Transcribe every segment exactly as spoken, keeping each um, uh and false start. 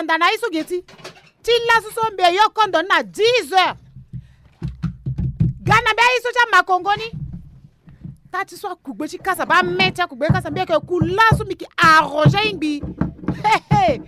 Nda na ye so ge ti. Ti laso so mbi yo kondo ni na dix heures. Ga na mbi aye so ti amakongo ni. Tâ ti so akugbe ti kasa baa, me ti akugbe ti kasa mbi yeke ku laso mbi yeke arranger aye ngbii. Hehe.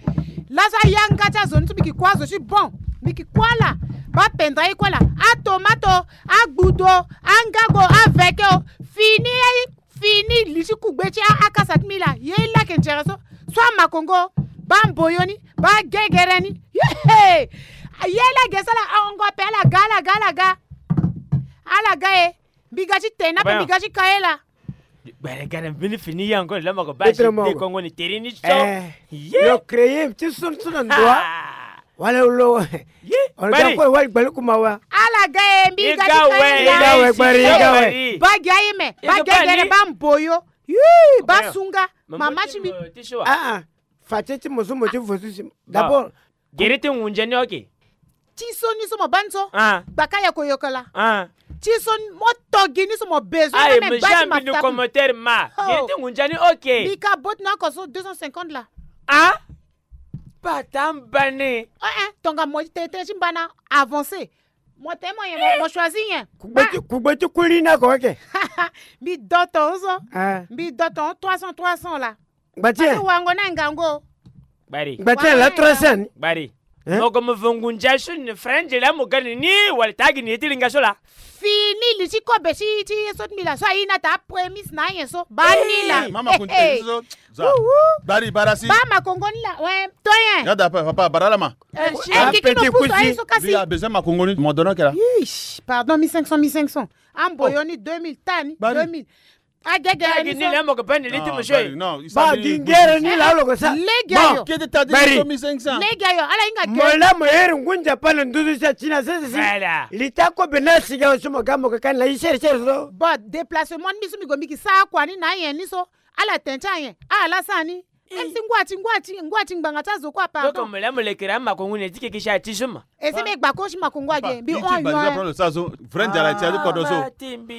Laso ayanga ti azo ni so mbi yeke ku azo ti bon. Mbi yeke ku ala. Baa pendere aye ku ala. Atomato, agbudo, angago, aveke o. Fini aye. Fini li ti kugbe ti a- akasa ti mbi laa. Ye laa ayeke nzere so. So amakongo. Baa mboyo ni. Baa gegere ni. Hehe. Ye laa ayeke sala ahongo ape ala ga, ala ga, ala ga. Ala ga e. Mbi ga ti tene ape, mbi ga ti ka ye laa. Gbere gere mbeni fini ye encore la moko baa ti de kongo ni tere ni so. Eh. Ye. Lo créer ti so so na ndo wa. Wala lo. Ye. Ono bari. Ko wali gbali kuma wa. Ala ga e, mbi ga ti ka ye laa. Ga we gbari, ga we. Baa gi aye me. Baa gi aye gere, baa mboyo. Yii, baa sunga. Mama ti mbi. Ah ah. Fa ti ti mo so mo ti vo so si. D'abord. Gere ti ngunza ni oke. Ti so ni so mo baa ni so. Ah. Gbaka ya koyokola. Ah. Ti so ni mo to gi ni so mo besoin. Aye, même mo baa ti jamais ma ni tabu. Commentaire ma. Oh. Gere ti ngunza ni oke. Mbi ka bot na oko so deux cent cinquante la. Ah. Bata mbane. Eh eh, tonga mo ti tene ti mbana avancer. Mo tene mo ye mo, mo choisir nyen. Kugbe ti, kugbe ti kuli na ko oke. Mbi do ton so. Ah. Mbi do ton trois cents, trois cents la. Ngba ti e. Wango na ngango. Bari. Ngba ti e la trois cents. Bari. Hein? Mo ko mo vo ngunza so ni French la mo ga ni ni wala ta gi ni ye ti linga so la. Fini li ti kobe ti, ti ye so ti mbi la so aye na ta prémisse na ayen so. Baa ni la. Mama kunte so. Za. Bari, bara si. Baa makongo ni la. Ouais, to nyen. Ya da pa, papa, bara la ma. Eh, eh, kiki no pusu aye so kasi. Mbi a besoin makongo ni mo dono ke la. Yeesh, pardon, mille cinq cents, mille cinq cents. Amboyo ni deux mille, tani, deux mille. Agege ni so. Ni la mo ko bani li ti mo so. Bari, non, il s'agit de gingere ni la lo ko sa. Lege ayo. Kete ta di so mille cinq cents. Lege ayo, ala hinga ke. Mo la mo yere ngunza pa na nduzu sa tina sese si. Voilà. Li ta kobe na siga so mo ga mo ko kani la i sere sere so. Bon, déplacement ni so mbi go mbi ki sa kua ni na ayen ni so. Ala tene ti ayen. Ala sa ni. Même si ngua ti, ngua ti, ngua ti ngbanga ti azo kue, pardon. Donc mo la mo lekere amakongo ni ti keke si ati so ma. E si mbi gba ko si makongo age. Mbi on yo. Sa so vrai nzara ti ati kodo so.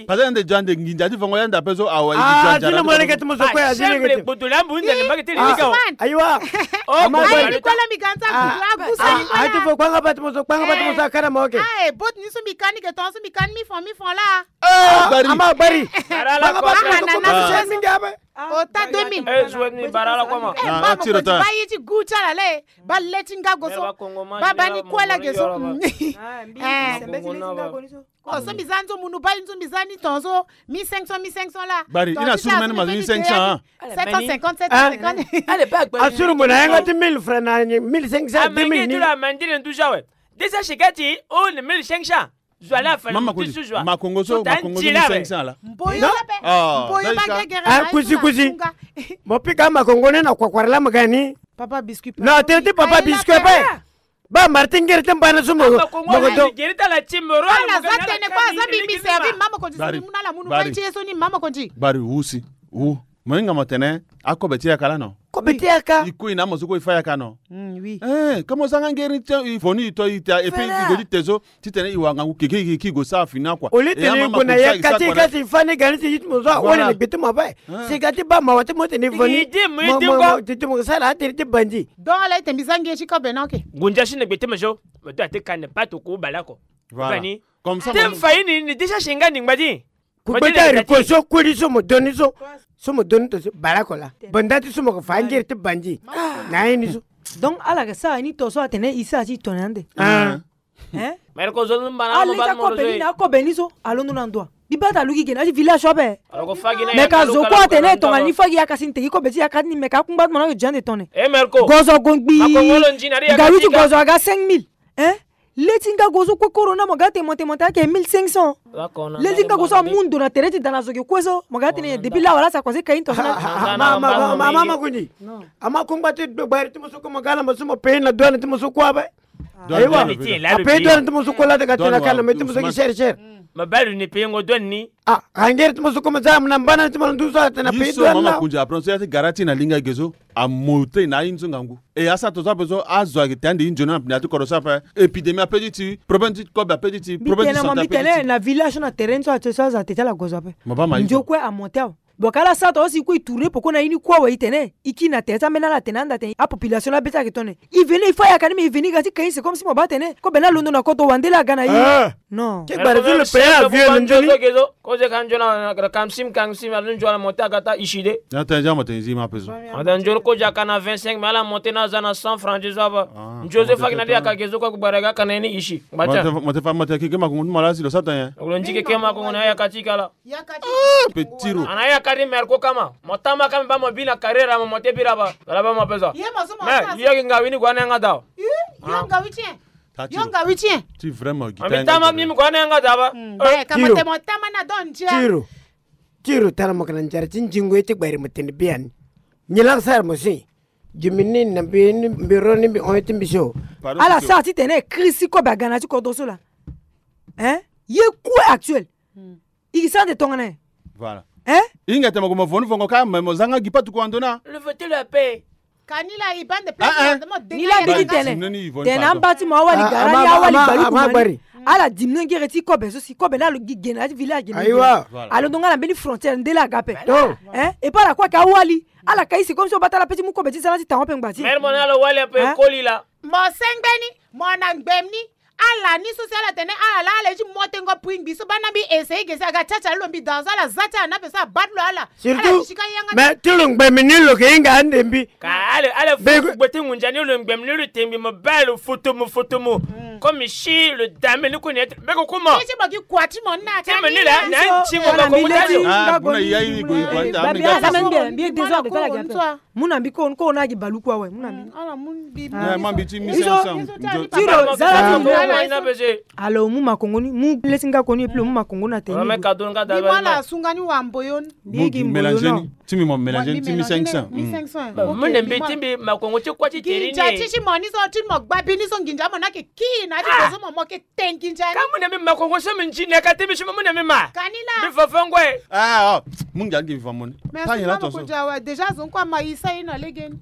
Parce que nde jande nginza ti vongo yanda pe so awa. Ah, ti na mo leke ti mo so kue. Chambre gboto la mbu nda ni mbage ti lili ka. Ayiwa. Oh, ama bari. Ayi ni kola mbi ganta. Ah, ti fo kpanga ba ti mo so, kpanga ba ti mo so akara ma oke. Ah, bot ni so mbi kani ke ton so mbi kani mi fon, mi fon la. Ah, bari. Ama bari. Kpanga ba ti mo so kue. Ota deux mille. Eh, zo ni bara la koma. Eh, ah, ba mo ko ti ba ye ti gu ti ala le. Ba le ti nga go so. Ba ba ni kue la ge so. Ah, mbi sembe ti le ti nga go ni so. Oh, so mbi za nzo munu ba nzo mbi za ni ton so. Mille cinq cents, mille cinq cents la. Bari, i na suru mene ma mille cinq cents, hein. Sept cent cinquante, sept cent cinquante. Allez, ba gbari. Asuru mo na yanga ti mille francs na mille cinq cents, deux mille ni. Amandi la, amandi le nduza we. Déjà chez Gati, oh, le mille cinq cents. Zo ala fa. Mama ko ti zo. Makongo so, makongo so mille cinq cents la. Mboyo la pe. Ah, mboyo ba gegere. Ah, kusi, kusi. Mo pika makongo ni na kwakwara la magani. Papa biscuit. Non, tene ti papa biscuit pe. Ba mara ti ngere ti mbana so mo. Makongo mo ko do. Gere ta la ti moro. Ala za tene ko aza mbi mbi servi mama ko ti so ni muna la munu. Bari. Ba ti ye so ni mama ko ti. Bari wusi. Wu. Mo hinga mo tene akobe ti yaka la no. Kobe ti yaka. I kue na mo so kue i fa yaka no. Mm, oui. Eh, ka mo zanga ngeri ti i fo ni i to i ta et puis i go ti te so titene i wara ngangu keke keke i go sara fini akua. Au lieu titene i gue na yaka ti i kasi i fa ni ga ni ti i ti mo so ahon ni na gbe ti mo ape. Sika ti ba mawa ti mo titene i fo ni. Mo, mo, mo, titene mo sara atene ti bandi. Donc ala ite mbi za nge ti kobe na oke. Ngunza si na gbe ti mo so. Mo to ate kane pa toko bale oko. Voilà. Comme ça. Te mo fa ye ni, ni déjà si nga ni ngbadi. Kugbe ti ariko so kuli so mo doni so. So mo doni to so bale oko la. Banda ti so mo ko fa ngiri ti bandi. Na ye ni so. Donc ala ga sara ni to so atene i sara ti tongana ande. Ah. Hein? Mère ko zo mbana mo ba mo zo. Aleka kobe ni na kobe ni so. Alondo na ndo wa. Mbi bata aluki ge na ti village so ape. Me ka zo kue atene tongana ni fagi yaka si ni tegi kobe ti yaka ti ni me ka akungba ti mo na ake jande tone. Eh, mère ko. Gozo go ngbii. Nga wi ti gozo aga cinq mille. Hein? Le ti nga gozo kue corona mo ga te monte monte ake mille cinq cents. Le ti nga gozo amu ndo na tere ti da na zo ge kue so mo ga tene depuis lawa la sa kua se ka ye ni to so na. Ama, ama, ama, ama, ama kundi. Ama kungba ti gbari ti mo so kue mo ga na mo so mo paye na douane ti mo so kue ape. Ayiwa. Apaye douane ti mo so kue la daga tena kana me ti mo so gi cher cher. Ma bari ni paye ngo douane ni. Ah, angere ti mo so kue mo za mo na mbana ti mo na nduzu so atena paye douane la. Mama kundi apron so ya ti gara ti na linga ge so. Amu te na aye ni so ngangu. E asa to so ape so azo ayeke te ande ye nzoni na pina ti kodro so ape. Épidémie ape ti ti, problème ti kobe ape ti ti, problème ti santé ape ti ti. Mbi tene na village so na terrain so azo ate ti ala gozo ape. Nzoni kue amonte awe. Bon, ka ala sara tonga si e kue e tourner poko na ye ni kue awe, e tene e kiri na tere ti ambeni ala atene anda tene apopulation ni abeti ayeke tongana nyen. E veni, il faut ayaka ni, mais e veni ga ti ka ye, c'est comme si mo baa atene kobe ni alondo na kodro wande laa aga na ye. Non. Ke gbara ti le pays avieux na ndeni. Kozo ka nzoni na kamsim, kamsim, ala nzoni ala monter aga ti ishide. Ya tene ja mo tene zi ma peso. Ata nzoni kozo aka na vingt-cinq, mais ala monter na aza na cent francs ti zo aba. Nzoni zo faki na de aka ge zo kue gbara ga aka na ye ni ishi. Mo te fa, mo te fa, mo te keke makongo ti mo laa si lo sara tene. Lo nzi keke makongo na ayaka ti kala. Yaka ti. Ah, pe tiro. Ana yaka ti merco kama. Mo tama kama ba mo bi na carrière mo, mo te bira ba. Ala ba mo pesa. Ye mo so mo. Mais yo ki nga wini gua na yanga da. Yo nga wi tien. Yo nga wi tien. Ti vraiment gi. Ami tama mi gua na yanga da ba. Eh, kama te mo tama na don tien. Tiro. Tiro tara mo kana njara ti nzingo ye ti gbari mo tene biani. Nyi lak sara mo si. Jimini na mbi ni, mbi ro ni, mbi on ti mbi so. Ala sara ti tene crise ti kobe aga na ti kodro so laa. Hein? Ye kue actuel. I gi sara nde tongana nyen? Voilà. Hein? Hinga tene mo gue mo vo ni vongo kâ, mais mo zanga gi patuku ando na. Le vote la paix. Ka ni la i bande place. Ni la bigi tene. Tene amba ti mo awali gara ni, awali baluku mani. Ala dimino ngere ti kobe so si kobe ni alo gi gena ti village gena. Ayiwa. Alondo nga na mbeni frontière nde la aga ape. Hein? Et pas la kue ka awali. Ala ka isi comme si o bata ala pe ti mu kobe ti zala ti tango ape ngba ti. Mère mo na lo wali ape koli la. Mo sengbeni, mo na ngbem ni. Ala ni so si ala tene ala la ala ye ti mo tengo pui ngbi so bana mbi essayer ge si aga ti ati ala lo mbi danzo ala za ti ala na ape so abat lo ala. Surtout, mais ti lo ngbem ni lo ke hinga ande mbi. Ka ala ala fu gbe ti ngunza ni lo ngbem ni lo tengbi mo ba lo foto mo foto mo. Comme si lo dame ni kue ni ete mbeko kuma. Ti mo gi kua ti mo na ti mo ni la na ti mo ba ko mo ta ti. Ah, buna ya yi go yi kua ni ta. Mbi ata mende mbi e deux heures de temps la gi ape. Mu na mbi ko, ko na gi baluku awe, mu na mbi. Ala mu mbi. Ah. Mbi ti mi izo. Tiro zala ti mbi. Alors mu makongo ni, mu lesi nga ko ni, et puis mu makongo na teni. Mala sunga ni wambo yo. Mu gi mélanger ni. Ti mbi mo mélanger ni, ti mbi cinq cents. Mu na mbi ti mbi makongo ti kua ti teni ni. Nginza ti ti mo ni so, ti mo gbabi ni so, nginza mo na ke ki na ti ko so mo mo ke. Tengi njani? Ka mu na mbi ma kongo so mbi nzi na ka ti mbi so mbi mu na mbi ma. Ka ni la. Mbi fa fa ngoi. Ah, oh. Mu ngia ngi fa mo ni. Merci maman Kodia wa. Déjà zo nkua ma i sa i na legeni.